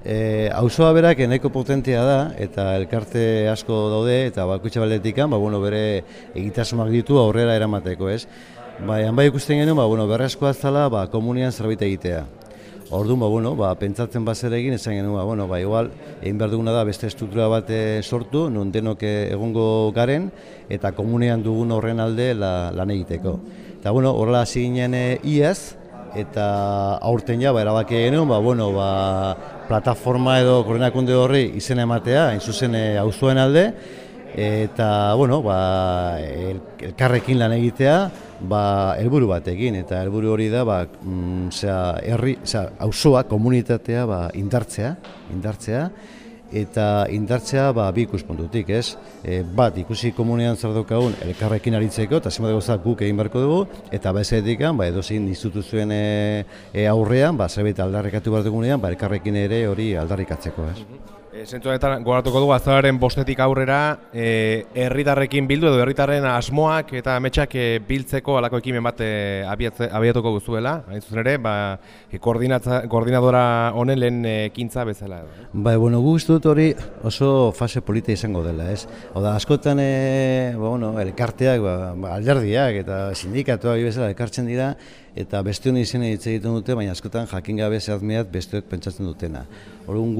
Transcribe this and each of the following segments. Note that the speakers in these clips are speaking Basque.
Auzoa berak nahiko potentea da, eta elkarte asko daude, eta bakoitza baldetikan, bere egitasmoak ditu aurrera eramateko, ez? Bai ikusten genuen, berrezkoa zala, komunian zerbait egitea. Orduan, pentsatzen bazer egin, esan genuen, igual, egin behar duguna da beste estruktura bat sortu, non denok egongo garen, eta komunean dugun horren alde lan egiteko. Eta, horrela hasi ginen iaz, eta aurten ja, erabaki genuen, plataforma edo koordinakunde horri izena ematea, hain zuzen auzoen alde, eta, elkarrekin lan egitea, helburu batekin, eta helburu hori da, auzoa, komunitatea indartzea, eta indartzea bi ikuspuntutik, ez? Bat, ikusi komunean zer daukagun elkarrekin aritzeko, eta zenbat gauza guk egin beharko dugu, eta bezetik, edozein instituzioen aurrean, zerbait aldarrikatu behar dugunean, elkarrekin ere hori aldarrikatzeko, ez? Zentzu honetan gogoratuko dugu azaroaren 5 aurrera herritarrekin bildu edo herritarren asmoak eta ametsak biltzeko halako ekimen bat abiatuko duzuela, hain zuzen ere, koordinadora honen lehen ekintza bezala. Guk uste dut hori oso fase polita izango dela, ez? Askotan elkarteak, alderdiak eta sindikatuak bezala elkartzen dira, eta beste honi izena hitz egiten dute, baina askotan jakin gabe zehazmeat besteok pentsatzen dutena. Orduan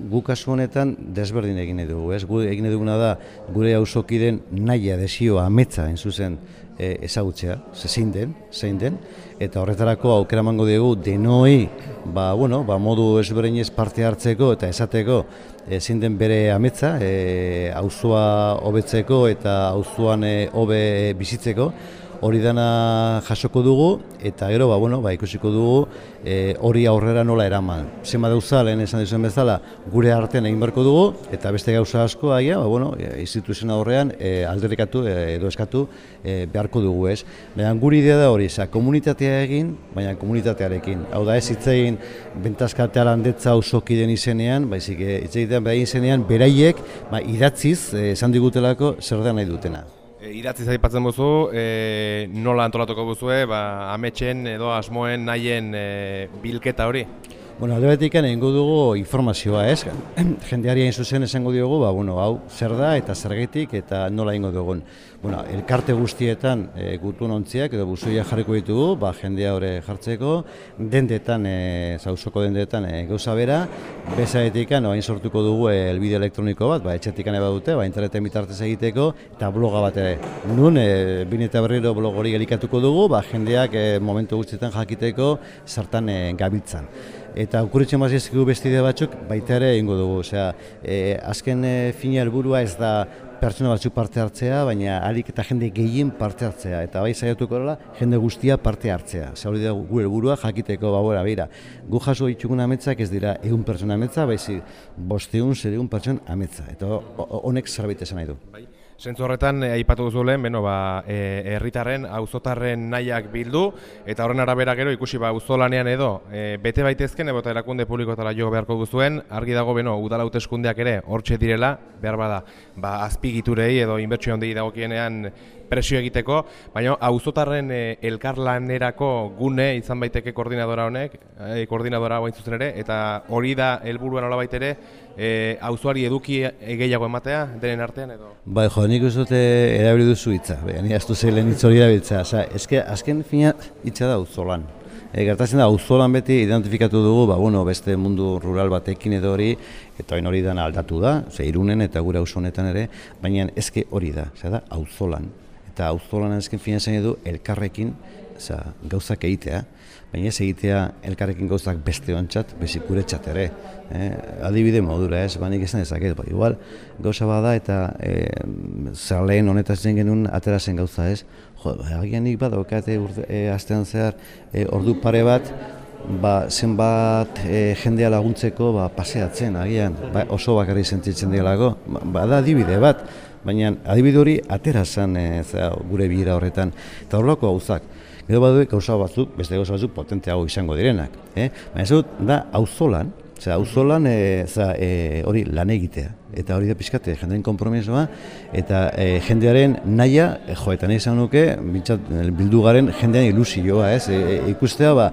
gu kasu honetan desberdin egin dugu, ez? Gu egin duguna da gure auzokideen nahia, desioa, ametsa, hain zuzen ezagutzea, zein den, eta horretarako aukera emango dugu denoi, modu ezberdinez parte hartzeko eta esateko zein den bere ametsa, auzoa hobetzeko eta auzoan hobe bizitzeko. Hori dana jasoko dugu, eta gero, ikusiko dugu hori aurrera nola eraman. Zenbat gauza, lehen esan dizuen bezala, gure artean egin beharko dugu, eta beste gauza asko, instituzioen aurrean alderrikatu edo eskatu beharko dugu, ez. Baina gure idea da hori, komunitatea egin, baina komunitatearekin. Hau da ez hitz egin bentazkatea landetza auzokideen izenean, baizik hitz egitean beraien izenean, beraiek idatziz esan digutelako zer da nahi dutena. Idatziz aipatzen duzu, nola antolatuko duzue, ametsen edo asmoen nahien bilketa hori? Alde betikan egingo dugu informazioa, ez? Jendeari hain zuzen esango diogu, hau zer da eta zergatik eta nola egingo dugun. Elkarte guztietan gutun ontziak edo buzoia jarriko ditugu, jendea hori jartzeko, dendetan, auzoko dendetan gauza bera, bezaretikan hain sortuko dugu elbide elektroniko bat, etxetikan eba dute, interneten bitartez egiteko, eta bloga bat ere. Nun, bin eta berriro blog hori elikatuko dugu, jendeak momentu guztietan jakiteko zertan gabiltzan. Eta okurritzen baziezkigu bestide batzuk baita ere egingo dugu. Azken fina helburua ez da pertsona batzuk parte hartzea, baina ahalik eta jende gehien parte hartzea. Eta bai saiatuko dela jende guztia parte hartzea. Hori da gu helburua jakiteko begira. Gu jaso ditugun ametsak ez dira 100 pertsona ametsa, baizik 500-600 pertsona ametsa. Eta honek zerbait esan nahi du. Zentzu horretan, aipatu duzu lehen, herritarren, auzotarren nahiak bildu, eta horren arabera gero ikusi auzolanean edo bete baitezken, eta erakunde publikoetara jo beharko duzuen, argi dago udala hauteskundeak ere hortxe direla, behar bada, azpigiturei edo inbertsio handei dagokienean presio egiteko, baina auzotarren elkarlanerako gune izan baiteke koordinadora honek, koordinadora hain zuzen ere, eta hori da helburua nolabait ere, auzoari eduki gehiago ematea, denen artean edo? Nik uste dute erabili duzu hitza, ni astu zeilen hitz hori erabiltzea. Azken fina hitza da auzolan. Gertatzen da, auzolan beti identifikatu dugu, beste mundu rural batekin edo hori, eta hori dana aldatu da, Irunen eta gure auzo honetan ere, baina ezke hori da, auzolan. Eta auzolanen ezken fina zen edo elkarrekin gauzak egitea, baina ez egitea elkarrekin gauzak beste ontzat, bezik gure txat ere. Adibide modura ez, nik esan dezaket, igual gauza bada eta zerleen honetaz zen genuen atera zen gauza ez. Agian nik badaukate astean zehar ordu pare bat, zenbat jendea laguntzeko paseatzen, agian oso bakarri sentitzen dialako, bada adibide bat, baina adibide hori atera zen gure bilera horretan, eta horrelako gauzak. Gero baduek gauza batzuk, beste gauza batzuk potenteago izango direnak. Baina ez dut, da auzolan, auzolan hori lan egitea. Eta hori da pixkat jendearen konpromisoa, eta jendearen nahia, eta nahi izan nuke, bildu garen jendean ilusioa, ikustea,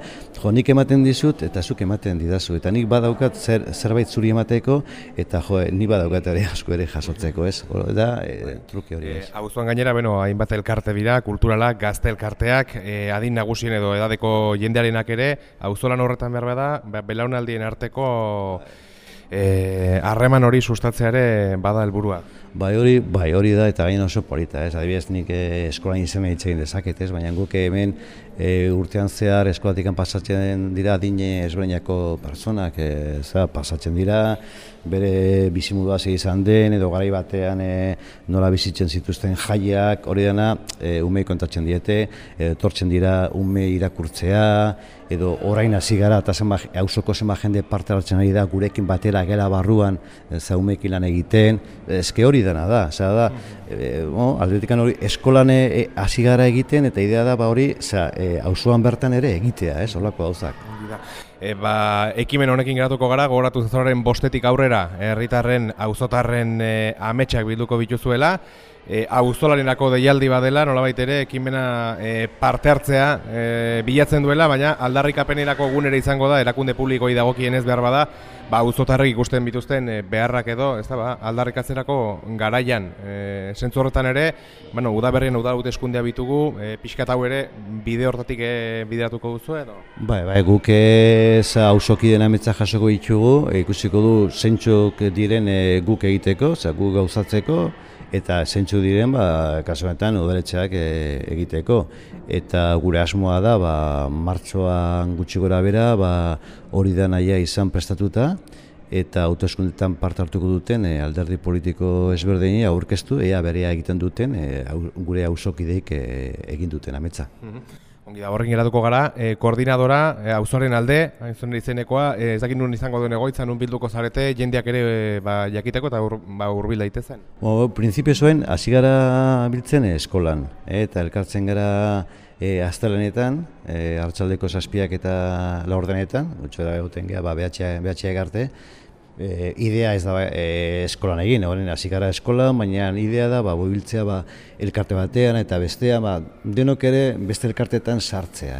nik ematen dizut, eta zuk ematen didazu. Eta nik badaukat zerbait zuri emateko, eta nik badaukat ere asko ere jasotzeko, da truke hori. Auzoan gainera, hainbat elkarte dira, kulturalak, gazte elkarteak, adin nagusien edo edadeko jendearenak ere, auzolan horretan behar bada, belaunaldien arteko harreman hori sustatzea ere bada helburua. Bai hori da, eta gain oso polita, adibidez nik eskolan izena hitz egin dezaket, baina guk hemen urtean zehar eskolatikan pasatzen dira adine ezberdinako pertsonak, pasatzen dira, bere bizimodua izan den, edo garai batean nola bizitzen zituzten jaiak, hori dena umei kontatzen diete, etortzen dira ume irakurtzea, edo orain hasi gara, eta auzoko zenbat jende parte hartzen ari da, gurekin batera gela barruan, umeekin lan egiten, eske hori dena da, aldetikan hori eskolan hasi gara egiten, eta idea da hori auzoan bertan ere egitea, holako gauzak. Ekimen honekin geratuko gara, gogoratu zezoraren 5 aurrera, herritarren, auzotarren ametsak bilduko bituzuela, auzolarenako deialdi badela, nolabait ere, ekimena parte hartzea bilatzen duela, baina aldarrikapenerako egunera izango da, erakunde publikoi dagokienez behar bada, auzotarrek ikusten bituzten beharrak edo, aldarrikatzerako garaian. Zentzu horretan ere, udaberrien hauteskundea bitugu, pixkat hau ere bide hortatik bideratuko duzu edo? Bai, guk auzoki dena ametsa jasoko ditugu, ikusiko du zeintzuk diren guk egiteko, guk gauzatzeko, eta zeintzu diren, kasu honetan, udaletxeak egiteko. Eta gure asmoa da, martxoan gutxi gora bera, hori da nahia izan prestatuta, eta hauteskundetan parte hartuko duten alderdi politiko ezberdini aurkeztu, ea berea egiten duten, gure auzokideek egin duten ametsa. Ongi da, horrekin geratuko gara, koordinadora, auzoaren alde, hain izenekoa, ez dakit nun izango duen egoitza, nun bilduko zarete, jendeak ere jakiteko eta hurbil daitezen? Printzipio zuen, hasi gara biltzen eskolan, eta elkartzen gara astelehenetan, arratsaldeko 7 eta 4 gutxora egoten gara, behatxeak arte. Idea ez da eskolan egin, hasi gara eskolan, baina idea da biltzea elkarte batean eta bestea, denok ere beste elkarteetan sartzea,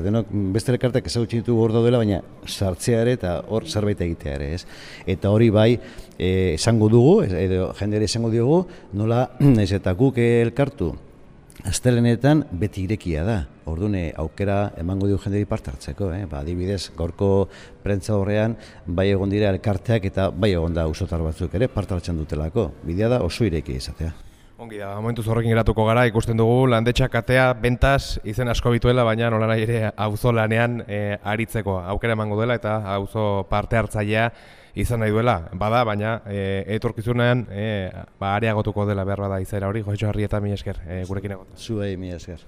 denok beste elkarteak ezagutzen ditugu hor daudela, baina sartzea ere eta hor zerbait egitea ere, eta hori esango dugu, edo jendere esango diogu, nola ez eta guk elkartu astelehenetan beti irekia da. Orduan aukera emango dio jenderi parte hartzeko, adibidez, gaurko prentza horrean bai egon dira elkarteak eta bai egon da auzotar batzuk ere parte hartzen dutelako. Bidea da oso irekia izatea. Ongi da, momentuz horrekin geratuko gara, ikusten dugu landetxak atea bentaz izen asko bituela, baina nolanahi ere auzolanean aritzeko aukera emango dela eta auzo parte hartzailea izan nahi duela, baina etorkizunean areagotuko dela behar bada izaera hori. Josetxo Harrieta, mila esker gurekin egon. Zuei, mila esker.